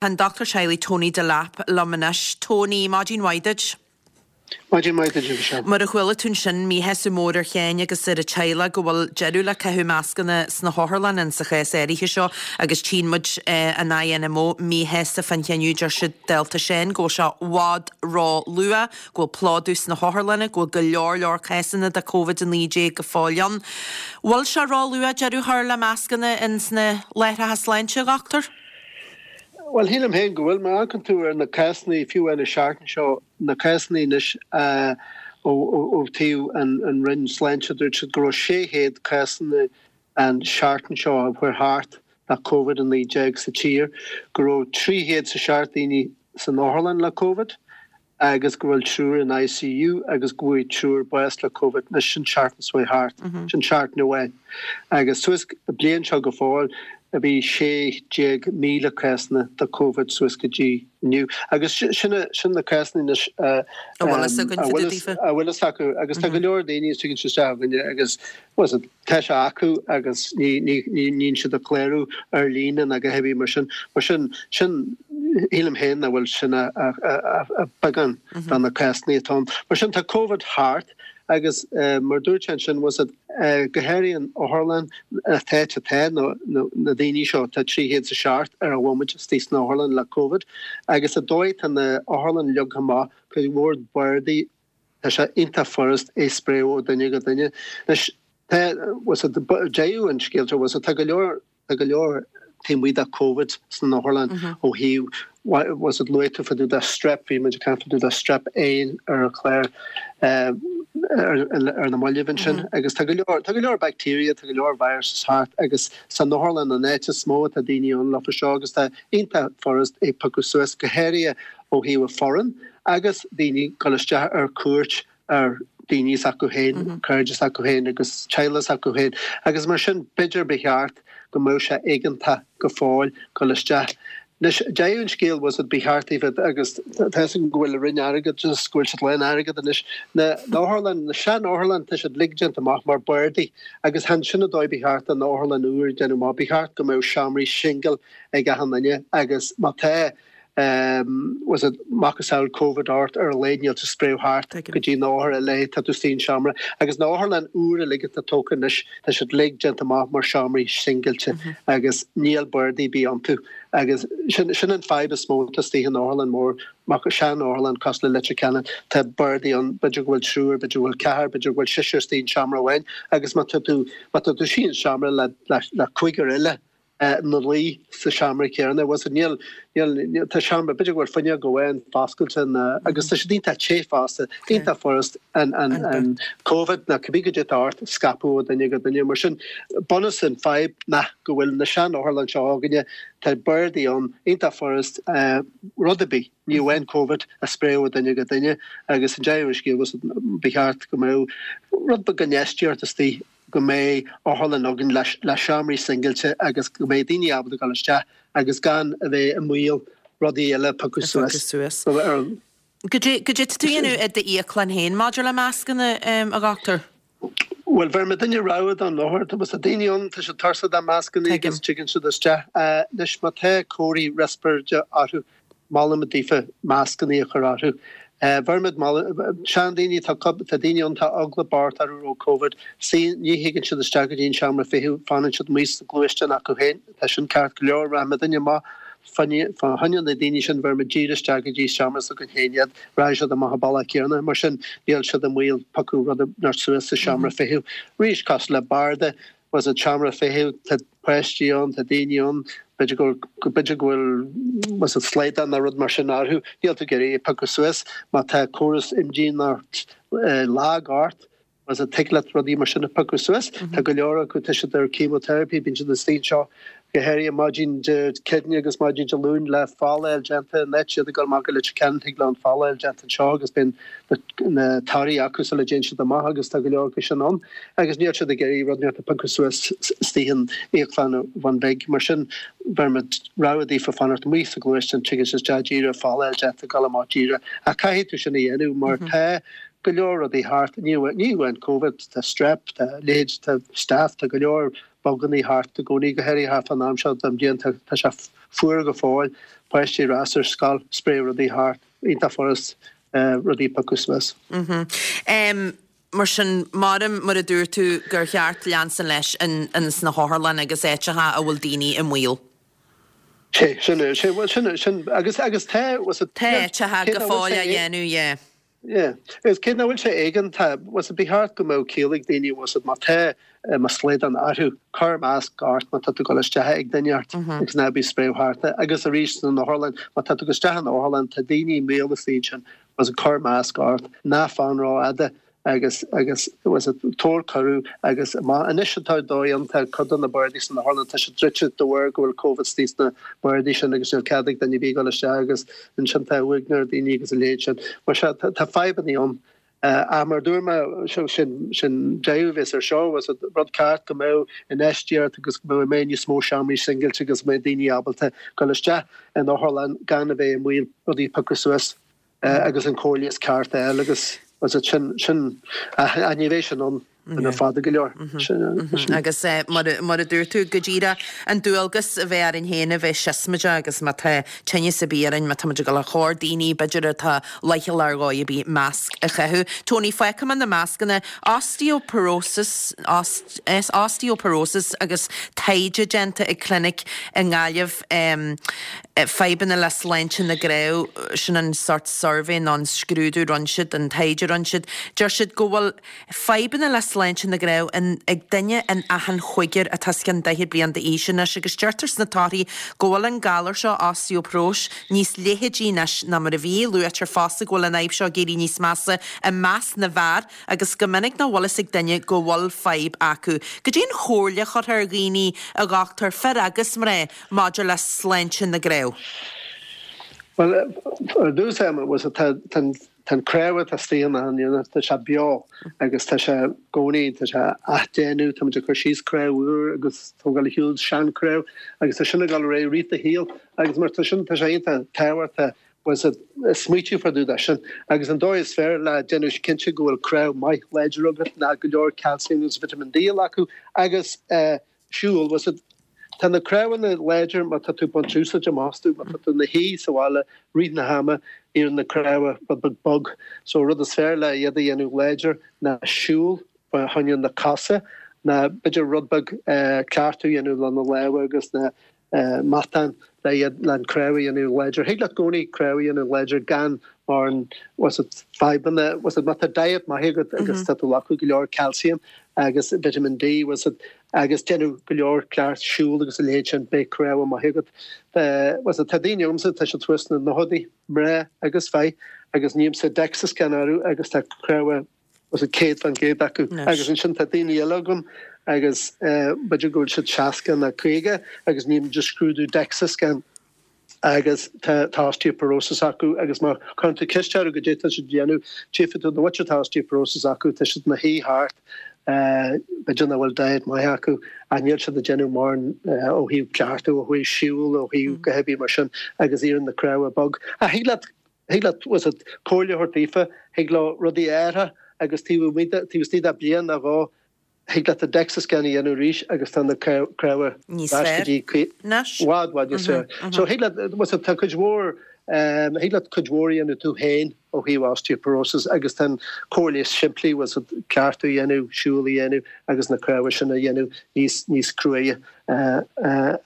Tá an Dochtúir Teaghlaigh Tony Delap liom anois. Tony, maidin mhaith duit. Maidin mhaith duit, a Mhichelle. Mar a chuala tú ansin, míshásamh mór ar Sheáin agus ar a teaghlach go bhfuil deireadh le caitheamh mascanna sna hotharlanna in sa chás áirithe seo agus tchíonn muid an INMO míshásta fán chinneadh, deir siad, dálta Sheáin, go bhfuil sé i bhfad ró-luath, go bhfuil plódú sna hotharlanna, go bhfuil go leor leor cásanna de Covid-19 go fóill ann. Bhfuil sé ró-luath deireadh a chur le mascanna in sna láithreacha sláinte, a dhochtúir? Bhuel, shílim féin go bhfuil. Má amharcann tú ar na cásanna, fiú amháin an seachtain seo, na cásanna anois ó thaobh an Roinn Sláinte, dúirt siad go raibh 600 cásanna an seachtain seo a chuaigh thart le Covid-19 sa tír, go raibh 307 daoine san otharlann le Covid. agus go bhfuil triúr in ICU agus go bhfuair triúr bás le Covid. Anois sin seachtain seo chuaigh thart. Sin seachtain amháin. Agus suas an bliain seo go fóill bhí 16,000 cásanna de Covid suas go dtí inniu. Agus sin sin na cásanna anois a A bhfuil fhios againn fá dtaobh daofa. a bhfuil fhios acu. Agus tá go leor daoine a thigeann isteach chugainne agus bhuel, Tá sé acu agus ní níonn siad ag clárú ar líne ná a dhath ar bith mar sin. Mar sin, sin, shílim féin nach bhfuil sin ach beagán de na cásanna atá ann. Mar sin, tá Covid thart agus mar dúirt sé ansin, bhfuil fhios a'd, go háirithe in otharlann, an t-áit atá na daoine seo, tá 307 ar an bhomaite istigh san otharlann le Covid agus an dóigh tá na otharlann leagtha amach, cuid mhór bardaí, Tá sé iontach furast é spréadh ó duine go duine. Anois, tá, bhfuil fhios a'd, deireadh an scéil seo, bhfuil fhios a'd, tá go leor, tá go leor taobh amuigh de Covid san otharlann ó thaobh, bhfuil fhios a'd, luaigh tú fá dtaobh de strep, bhí muid ag caint fá dtaobh de strep A ar an chlár ar na mallaibh ansin agus tá go leor, tá go leor bacteria, tá go leor viruses thart agus san otharlann an áit is mó atá daoine ann leofa seo agus tá iontach furast é piocadh suas, go háirithe ó thaobh an foireann agus daoine dul isteach ar cuairt ar daoine s'acu féin, cairde s'acu féin agus teaghlaigh s'acu féin agus mar sin b'fhéidir ba cheart go mbeadh sé éigeantach go fóill dul isteach. Anois, deireadh an scéil bhfuil fhios a'd ba cheart daofa agus tá fhios agam go bhfuil an Roinn Airgeadais, go bhfuil siad lán airgead anois, na otharlann, na sean-otharlann, tá siad uilig déanta amach mar bardaí agus chan sin an dóigh ba cheart do na otharlann úr déanamh amach, ba cheart go mbeadh seomraí singil ag achan duine agus má tá bhfuil fhios a'd macasamhail Covid ort ar a laghad níl tú spréadh thart go dtí na othair eile, tá tú istigh in seomra. Agus na otharlann úr uilig atá tógtha anois, tá siad uilig déanta amach mar seomraí singilte agus níl bardaí ar bith iontu. Agus sin sin an fadhb is mó atá istigh in otharlann mór, sean-otharlann cosúil le Leitir Ceanainn, tá bardaí ann, b'fhéidir go bhfuil triúr, b'fhéidir go bhfuil ceathrar, b'fhéidir go bhfuil seisear istigh in seomra amháin agus má tá tú má tá tú istigh in seomra le le cúigear eile, ina luí sa seomra céanna. Bhfuil fhios a'd, níl, níl, níl, tá seomra, b'fhéidir go bhfuil fuinneog amháin foscailte ná, agus tá siad iontach te fosta, iontach furast an, an, an Covid ná cibé goidé atá ort a scaipeadh ó duine go duine. Mar sin, bunús an fadhb ná go bhfuil na sean-otharlann seo againne, tá bardaí ann, iontach furast, rud ar bith, ní amháin Covid, a spréadh ó duine go duine agus an deireadh an scéil, bhfuil fhios a'd, ba cheart go mbeadh rud beag infheistíocht istigh go mbeidh otharlann againn le seomraí singilte agus go mbeidh daoine ábalta dul isteach agus gan a bheith i mbaol rudaí eile a phiocadh suas. Goidé goidé tá tú a dhéanamh i d'íoclann féin maidir le mascanna, a dhochtúir? Bhuel, bheir muidinne rogha don othar. Tá tá daoine ann, tá siad tuirseach de mascanna agus tigeann siad isteach. Anois, má tá comharthaí riospráide orthu, Molaimid daofa mascannaí a chur orthu. Bheirimid moladh, seandaoine, tá tá daoine ann, tá eagla bocht orthu roimh Covid. Sea, ní thigeann siad isteach go dtí an seomra feithimh, fanann siad amuigh sa gluaisteán acu féin. Tá sin ceart go leor, rachaidh muidinne amach fá choinne na daoine sin, bheirimid díreach isteach go dtí seomra s'againn féin iad, rachaidh siad amach an bealach céanna. Mar sin, níl siad i mbaol piocadh rud inteacht suas sa seomra feithimh. Arís, cosúil le barda, bhfuil fhios a'd seomra feithimh, tá páistí ann, tá daoine ann, b'fhéidir go bhfuil, b'fhéidir go bhfuil, bhfuil fhios a'd slaghdán nó rud mar sin orthu, níl tú ag iarraidh é a phiocadh suas, má tá córas imdhíonachta lag ort, bhfuil fhios a'd tig leat rudaí mar sin a phiocadh suas, tá go leor acu, tá siad ar chemotherapy, bíonn siad istigh anseo go háirithe maidin Dé Céadaoine agus maidin Dé Luain le folláil déanta, in áit iad ag dul amach go Leitir Ceanainn thig leo an folláil déanta anseo agus bíonn na torthaí acu sula dtéann siad amach agus tá go leor acu sin ann agus níl siad ag iarraidh rud inteacht a phiocadh suas istigh in íoclann an Bhun Bhig. Mar sin bheirimid rogha daofa fanacht amuigh sa ghluaisteán, tigeann siad isteach díreach, folláil déanta, dul amach díreach. Ach caithfidh tú sin a dhéanamh mar tá go leor rudaí thart, ní amháin Covid, tá strep, tá leithéid, tá staph, tá go leor. bugannaí thart i gcónaí, go háirithe thart fán am seo den bhliain, tá sé fuar go fóill, páistí ar ais ar scoil, spréadh rudaí thart, iontach furast rudaí a piocadh suas. Mar sin, maram mar a dúirt tú gur cheart leanstan leis in sna hotharlanna agus áiteacha a bhfuil daoine i mbaol. Sé, sin é, sé, bhuel sin, sin, agus, agus tá, was it, Tá áiteacha go fóill á dhéanamh, yeah. Yeah. Agus cé nach bhfuil sé éigeantach, was it, ba cheart go mbeadh ciall ag daoine, was it, má tá, má slaghdán orthu, cuir masc ort má tá tú ag dul isteach ag duine ort agus ná bí ag spréadh thart é. Agus arís san otharlann, má tá tú ag dul isteach in otharlann, tá daoine i mbaol istigh ansin, was it, cuir masc ort, ná fan rófhada. agus agus was it tabhair cuireadh agus má anois atá dóigh ann tá cuid de na bardaí san otharlann tá siad druidte de bharr go bhfuil Covid istigh sna bardaí sin agus níl cead ag duine ar bith dul isteach agus ansin tá uaigneas ar daoine agus a leithéid sin. Mar sea tá tá fadhbannaí ann. Ach mar a dúirt mé sin sin deireadh a bheas ar seo was it rud ceart go mbeadh infheistíocht agus go mbeadh mbeadh níos mó seomraí singilte agus go mbeadh daoine ábalta dul isteach in otharlann gan a bheith i mbaol rudaí a piocadh suas. agus an cóir leighis ceart a fháil agus was it sin, sin, ach ní bheidh sin ann le fada go leor. Sin. Agus mar a dúirt tú, go díreach an dualgas a bheith orainn féin a bheith siosmaideach agus má tá tinneas ar bith orainn, má tá muid ag dul os comhair daoine, b'fhéidir atá leithcheal ar dhóigh ar bith, masc a chaitheamh. Tony, fágfaidh mé na mascanna, osteoporosis, osteoporosis agus taighde déanta ag clinic i nGaillimh, Fadhbanna le sláinte na gcnámh, sin an sórt suirbhé nó an scrúdú a rinne siad, an taighde a rinne siad. Deir siad go bhfuil fadhbanna le sláinte na gcnámh ag duine in achan chúigear atá os cionn 40 bliain d'aois anois agus deirtear sna torthaí go bhfuil an galar seo, osteoparóis, níos leithidí anois ná mar a bhí. Luaitear fosta go bhfuil an fhadhb seo ag éirí níos measa i measc na bhfear agus go minic nach bhfuil fhios ag duine go bhfuil fadhb acu. Goidé an chomhairle a chuirfeá ar dhaoine, a dhochtúir, fir agus mná, maidir le sláinte na gcnámh? Bhuel, ar dtús, tá an cnámh atá istigh in achan duine, tá sé beo agus tá sé i gcónaí, tá sé á déanamh, tá muid ag cur síos cnámh úr agus tógáil ar shiúl seanchnámh agus tá sin ag dul ar aghaidh i rith do shaoil agus mar tá sin, tá sé iontach tábhachtach was it, smaoitiú fá dtaobh de sin agus an dóigh is fearr le déanamh cinnte go bhfuil cnámh maith láidir agat ná go leor calcium agus vitamin D a ghlacadh agus siúl, was it, tá na cnámhanna láidir má tá tú ag baint úsáid amach astu, má tá tú ina shuí sa bhaile rith na hama, éiríonn na cnámha rud beag bog. So rud is fearr le iad a dhéanamh láidir ná siúl fá choinne na cosa, ná b'fhéidir rud beag cleachtadh a dhéanamh le na lámha agus na matáin le iad le an cnámh a dhéanamh láidir. Thig leat i gcónaí cnámh a dhéanamh láidir gan mórán was it fadhbanna was it má tá diet maith agat agus tá tú ag glacadh go leor calcium agus vitamin D was it agus déanamh go leor cleacht siúl agus a leithéid sin beidh cnámha maith agat. Was it tá daoine agamsa tá siad thuas sna nóchaidí mná agus fir agus nímse DEXA scan orthu agus tá cnámha was it 100% acu. Agus ansin tá daoine eile agam agus b'fhéidir go bhfuil siad 60 nó 50 agus ním just scrúdú DEXA scan agus tá tá osteoporosis acu agus má chuireann tú ceist orthu goidé tá siad ag déanamh, tchífidh tú na bhfuil tá osteoporosis acu, tá siad ina shuí thart, b'fhéidir nach bhfuil diet maith acu ach níl siad ag déanamh mórán ó thaobh cleachtadh, ó thaobh siúl, ó thaobh a dhath ar bith mar sin agus éiríonn na cnámha bog. Ach thig leat Thig leat, was it, comhairle a thabhairt daofa, thig leo rudaí a athrú agus taobh amuigh de, taobh istigh de bliain nó dhó, thig leat an DEXA scan a dhéanamh arís agus tá na cnámha Níos ar ais go dtí fearr anois. i bhfad, bhfad níos fearr. So thig leat, was it, tá cuid mhór, thig leat cuid mhór a dhéanamh tú féin ó thaobh osteoporosis agus tá an comhairle is simplí, was it, cleachtadh a dhéanamh, siúl a dhéanamh agus na cnámha sin a dhéanamh níos, níos cruaidhe.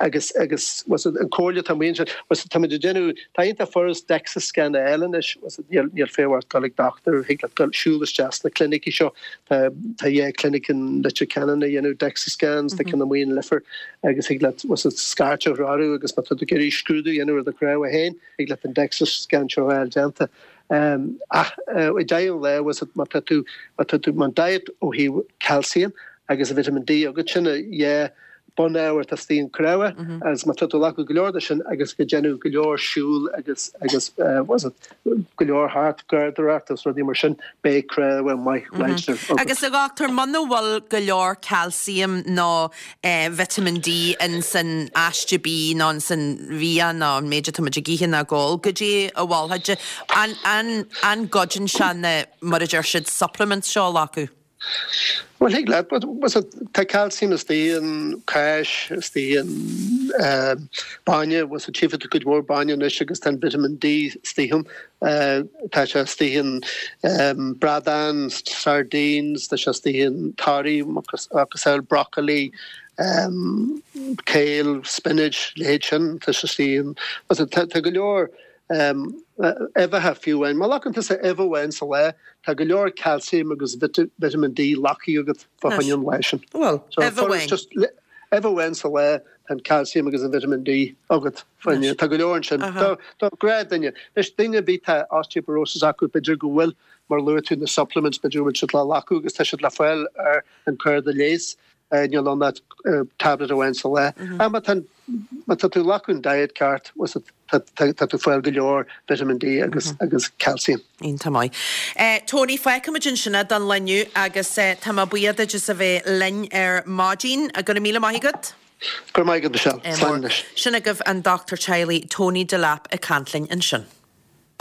Agus, agus, was it, an comhairle atá amuigh ansin, was it, táimid ag déanamh, tá iontach furast DEXA scan a fháil anois, was it, níl, níl feidhm ort dul ag dochtúir, thig leat dul, siúl isteach sna clinicí seo, tá, tá dhá clinic in Leitir Ceanainn ag déanamh DEXA scans, tá ceann amuigh in Leifear agus thig leat, was it, scairt a chur orthu agus má tá tú ag iarraidh scrúdú a dhéanamh ar do chnámha féin, thig leat an DEXA scan seo a fháil déanta. Ach, i deireadh an lae, was it, má tá tú, má tá tú, má diet ó thaobh calcium agus vitamin D agat, sin an dhá bunábhar atá istigh in cnámha agus má tá tú ag glacadh go leor de sin agus ag déanamh go leor siúl agus, agus, was it, go leor thart, garraíodóireacht agus rudaí mar sin, beidh cnámha maith láidir agat. Agus a dhochtúir, muna bhfuil go leor calcium nó vitamin D ins an aiste bídh nó ins an bhia nó an méid atá muid ag ithe nó ag ól, goidé a mholfá? An, an, an gcuidíonn sé na, mar a deir siad, supplements seo a ghlacadh? Bhuel, thig leat, but tá calcium istigh in cáis, istigh in bainne, bhuel tchífidh tú cuid mhór bainne anois agus tá an vitamin D istigh ann. Tá sé istigh in bradán, sardines, tá sé istigh in torthaí cosúil broccoli, kale, spinach, leithéid sin, tá sé istigh in, tá go leor uibheacha fiú amháin. Má ghlacann tusa uibh amháin sa lá, tá go leor calcium agus vitamin D glactha agat fá choinne an lae sin. Bhuel, uibh amháin. Just uibh amháin sa lá, tá an calcium agus an vitamin D agat fá choinne. Tá go leor ansin. Do ghnáthdhuine. Anois, daoine ar bith tá osteoporosis acu, b'fhéidir go bhfuil, mar luaigh tú, na supplements, b'fhéidir go bhfuil siad le glacadh agus tá siad le fáil ar an cárta leighis. Níl ann ach tablet amháin sa lá. Ach má tá má tá tú ag glacadh an diet ceart, tá tú ag fáil go leor vitamin D agus agus calcium. Iontach maith. Tony, fágfaimid ansin é don lá inniu agus tá mé buíoch duit as a bheith linn ar maidin. Go raibh míle maith agat. Go raibh maith agat, Michelle. Slán anois. Sin agaibh an Dochtúir Teaghlaigh Tony Delap ag caint linn ansin.